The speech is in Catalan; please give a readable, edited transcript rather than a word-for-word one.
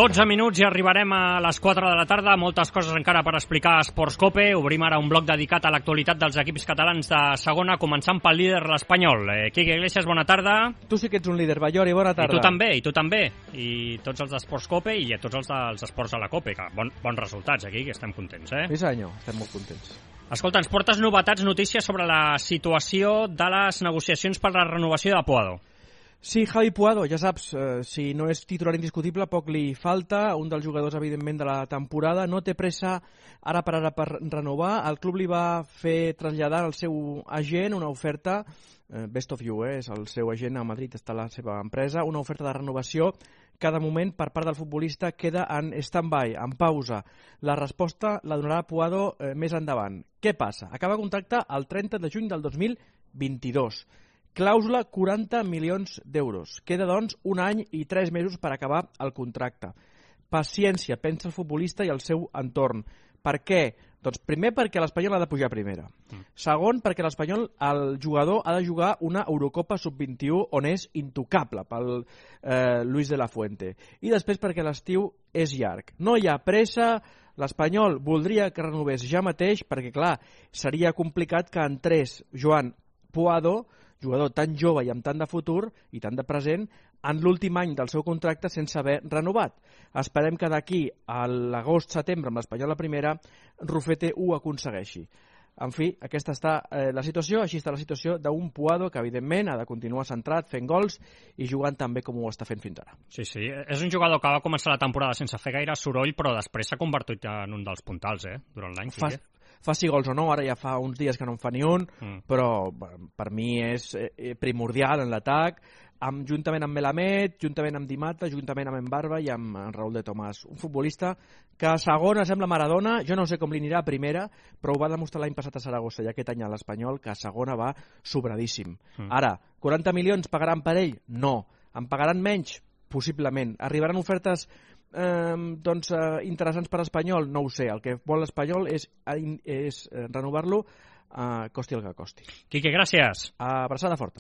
12 minuts i arribarem a les 4 de la tarda. Moltes coses encara per explicar a Esports Cope. Obrim ara un bloc dedicat a l'actualitat dels equips catalans de segona, començant pel líder, l'Espanyol. Quique Iglesias, bona tarda. Tu sí que ets un líder, Ballori, bona tarda. I tu també. I tots els d'Esports Cope i tots els dels esports a la Cope. Bons resultats aquí, que estem contents, Sí senyor, estem molt contents. Escolta, ens portes novetats, notícies sobre la situació de les negociacions per la renovació de Puado. Sí, Javi Puado, ja saps, si no és titular indiscutible, poc li falta, un dels jugadors, evidentment, de la temporada, no té pressa ara per renovar, el club li va fer traslladar al seu agent una oferta, Best of You, és el seu agent a Madrid, està la seva empresa, una oferta de renovació que de moment per part del futbolista queda en stand-by, en pausa. La resposta la donarà Puado més endavant. Què passa? Acaba contracte el 30 de juny del 2022. Clàusula 40 milions d'euros. Queda, doncs, un any i 3 mesos per acabar el contracte. Paciència, pensa el futbolista i el seu entorn. Per què? Doncs primer perquè l'Espanyol ha de pujar a primera. Segon, perquè l'Espanyol, el jugador, ha de jugar una Eurocopa Sub-21 on és intocable pel Luis de la Fuente. I després perquè l'estiu és llarg. No hi ha pressa, l'Espanyol voldria que renovés ja mateix perquè, clar, seria complicat que entrés Joan Puado, jugador tan jove i amb tant de futur i tant de present, en l'últim any del seu contracte sense haver renovat. Esperem que d'aquí a l'agost-setembre amb l'Espanyol a primera, Rufete ho aconsegueixi. En fi, aquesta està la situació, així està la situació d'un Puado que, evidentment, ha de continuar centrat, fent gols i jugant tan bé com ho està fent fins ara. Sí, és un jugador que va començar la temporada sense fer gaire soroll, però després s'ha convertit en un dels puntals, durant l'any. Faci gols o no, ara ja fa uns dies que no en fa ni un, però per mi és primordial en l'atac, juntament amb Melamed, juntament amb Di Mata, juntament amb Embarba i amb Raúl de Tomàs. Un futbolista que a segona sembla Maradona, jo no sé com li anirà a primera, però ho va demostrar l'any passat a Saragossa i aquest any a l'Espanyol, que a segona va sobradíssim. Ara, 40 milions pagaran per ell? No. En pagaran menys? Possiblement. Arribaran ofertes interessants per Espanyol? No ho sé. El que vol l'Espanyol és renovar-lo costi el que costi. Quique, gràcies. Abraçada forta.